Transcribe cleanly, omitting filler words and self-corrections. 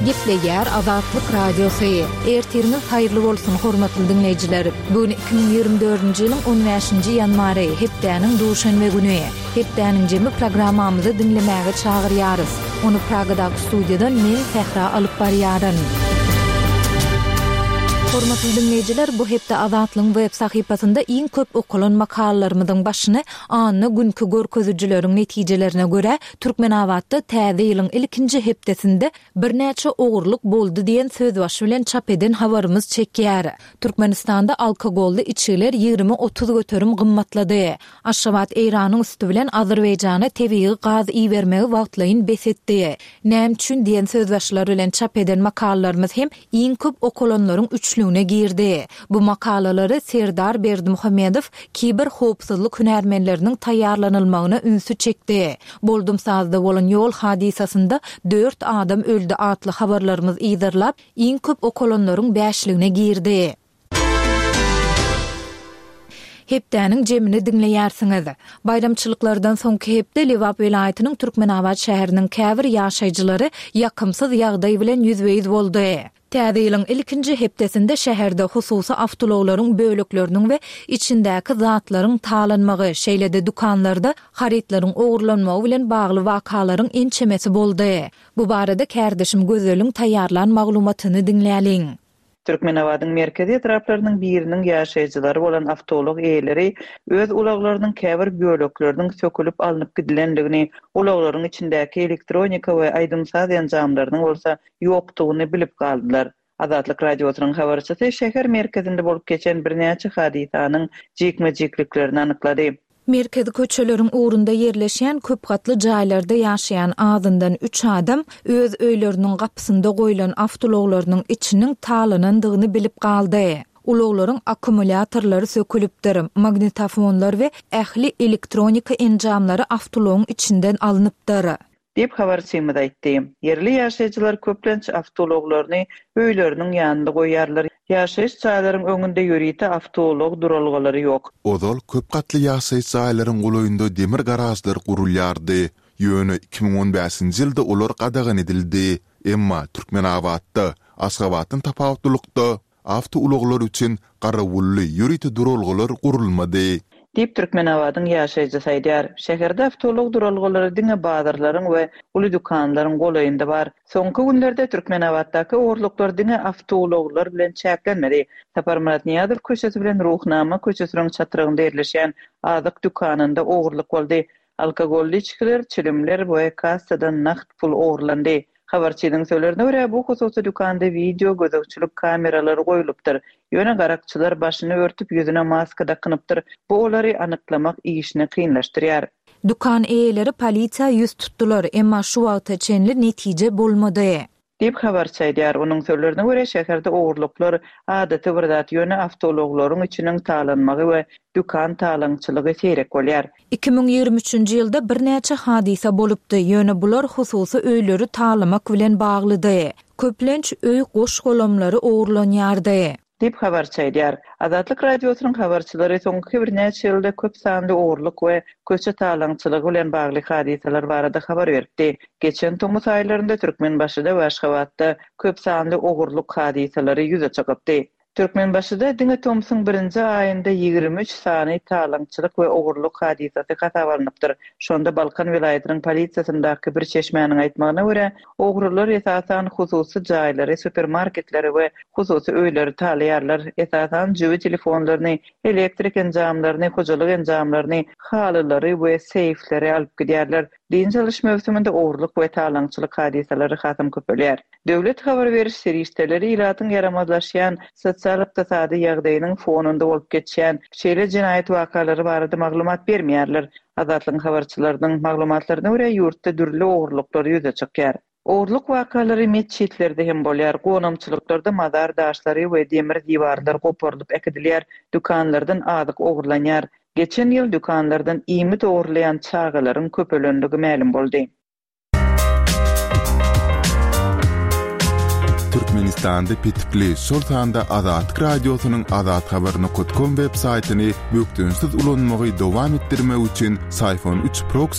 Gepleýär Azatlyk Radiosy. Ertiriňiz haýyrly bolsun, hormatly diňleýjiler! Bu gün 2024-nji ýylyň on bäşinji ýanwary, hepdäniň duşenbe güni. Hepdäniň jemi programmamyzy diňlemäge çagyrýarys. Ony Pragadaky studiýadan men, Sähra alyp barýaryn. Hormatly diňleýjiler, bu hepde Azatlygyň web sahypasynda iň köp okalan makalalarymyzyň başyny anna günki görkezijileriň netijelerine görä, Türkmenabatda täze ýylyň ilkinji hepdesinde birnäçe ogurlyk boldy diýen sözbaşy bilen çap eden habarymyz çekýär. Türkmenistanda alkogolly içgiler 20-30 göterim gymmatlady. Aşgabat Eýranyň üsti bilen Azerbaýjana tebigy gaz ibermegi wagtlaýyn bes etdi. Näme üçin diýen sözbaşylar bilen çap eden makalalarymyz hem iň köp okalanlaryň üçlügine girdi. Bu makalalary Serdar Berdimuhamedow kiber howpsuzlyk hünärmenleriniň taýýarlanylmagyna ünsi çekdi. Boldumsazda bolan ýol hadysasynda dört adam öldi atly habarlarymyz yzarlap, iň köp okalanlaryň bäşligine girdi. Hepdäniň jemini diňleýärsiňiz. Baýramçylyklardan soňky hepde Lebap welaýatynyň Türkmenabat şäheriniň käbir ýaşaýjylary ýakymsyz ýagdaý bilen ýüzbe-ýüz boldy. Täze ýylyň ilkinji hepdesinde şäherde hususy awtoulaglaryň bölekleriniň we içindäki zatlaryň talanmagy, şeýle-de dükanlarda harytlaryň ogurlanmagy bilen bagly wakalaryň ençemesi boldy. Bu barada kärdeşim Gözeliň taýýarlan maglumatyny diňläliň. Türkmenabadyň merkezi etraplarynyň biriniň ýaşaýjylary bolan awtoulag eýeleri öz ulaglarynyň käbir bölekleriniň sökülip alnyp gidilendigini, ulaglaryň içindäki elektronika we aýdym-saz enjamlarynyň bolsa ýokdugyny bilip galdylar. Azatlyk Radiosynyň habarçysy şäher merkezinde bolup geçen birnäçe hadysanyň jikme-jikliklerini anyklady. Merkezi köçeleriň ugrunda ýerleşýän köp gatly jaýlarda ýaşaýan azyndan üç adam öz öýleriniň gapysynda goýlan awtoulaglarynyň içiniň talanandygyny bilip galdy. Ulaglaryň akkumulýatorlary sökülipdir, magnitofonlar we ähli elektronika enjamlary awtoulagyň içinden alnypdyr. Diýip, habarçymyz aýtdy. Ýerli ýaşaýjylar köplenç awtoulaglaryny öýleriniň ýanynda goýýarlar. Ýaşaýyş jaýlaryň öňünde ýörite awtoulag duralgalary ýok. Ozal köp gatly ýaşaýyş jaýlaryň golaýynda demir garažlar gurulýardy. Ýöne 2015-nji ýylda olar gadagan edildi. Emma Türkmenabatda, Aşgabatdan tapawutlylykda, Awtoulaglar üçin garawully ýörite duralgalar gurulmady. Diýip, Türkmenabadyň ýaşaýjysy aýdýar. Şäherde awtoulag duralgalary diňe bazarlaryň we uly dükanlaryň golaýynda bar. Soňky günlerde Türkmenabatdaky ogurlyklar diňe awtoulaglar bilen çäklenmedi. Saparmyrat Nyýazow köçesi bilen Ruhnama köçesiniň çatrygynda ýerleşýän azyk dükanynda ogurlyk boldy. Alkogolly içgiler, çilimler we kassadan nagt pul ogurlandy. Habarçynyň sözlerine görä, bu hususy dükanda wideo gözegçilik kameralary goýlupdyr. Ýöne garakçylar başyny örtüp, ýüzüne maska dakynypdyr. Bu olary anyklamak işini kynlaşdyrýar. Dükan eýeleri polisiýa ýüz tutdular, emma şu wagta çenli netije bolmady. Diýip, habarçy aýdýar. Onuň sözlerine görä, şäherde ogurlyklar adaty bir zat, ýöne awtoulaglaryň içiniň talanmagy we dükan talaňçylygy seýrek bolýar. 2023-nji ýylda birnäçe hadysa bolupdy, ýöne bular hususy öýleri talamak bilen baglydy. Köplenç öý goş-golamlary ogurlanýardy. Diýip, habarçy aýdýar. Azatlyk Radiosynyň habarçylary soňky birnäçe ýylda köp sanly ogurlyk we köçe talaňçylygy bilen bagly hadysalar barada habar beripdi. Geçen tomus aýlarynda Türkmenbaşyda we Aşgabatda köp sanly ogurlyk hadysalary ýüze çykypdy. Türkmenbaşyda diňe tomsuň birinji aýynda 23 sany talaňçylyk we ogurlyk hadysasy hasaba alnypdyr. Şonda Balkan welaýatynyň polisiýasyndaky bir çeşmäniň aýtmagyna görä, Ogrular esasan hususy jaýlary, supermarketleri we hususy öýleri talaýarlar. Esasan jübi telefonlaryny, elektrik enjamlaryny, hojalyk enjamlaryny, halylary we seýfleri alyp gidýärler. Dynç alyş möwsüminde ogurlyk we talaňçylyk hadysalary hasam köpelýär. Döwlet habar beriş serişdeleri ilatyň ýaramazlaşýan sosial-ykdysady ýagdaýynyň fonunda bolup geçýän şeýle jenaýat wakalary barada maglumat bermeýärler. Azatlygyň habarçylarynyň maglumatlaryna görä, ýurtda dürli ogurlyklar ýüze çykýar. Ogurlyk wakalary metjitlerde hem bolýar, gonamçylyklarda mazar daşlary we demir diwarlar goparylyp äkidilýär, dükanlardan azyk ogurlanýar. Geçen ýyl dükanlardan iýmit ogurlaýan çagalaryň köpelenligi mälim boldy. Türkmenistanda petikli, şol sanda Azatlyk Radiosynyň azathabar.com web saýtyny bökdençsiz ulanmagy dowam etdirmek üçin Syfon üç proksi.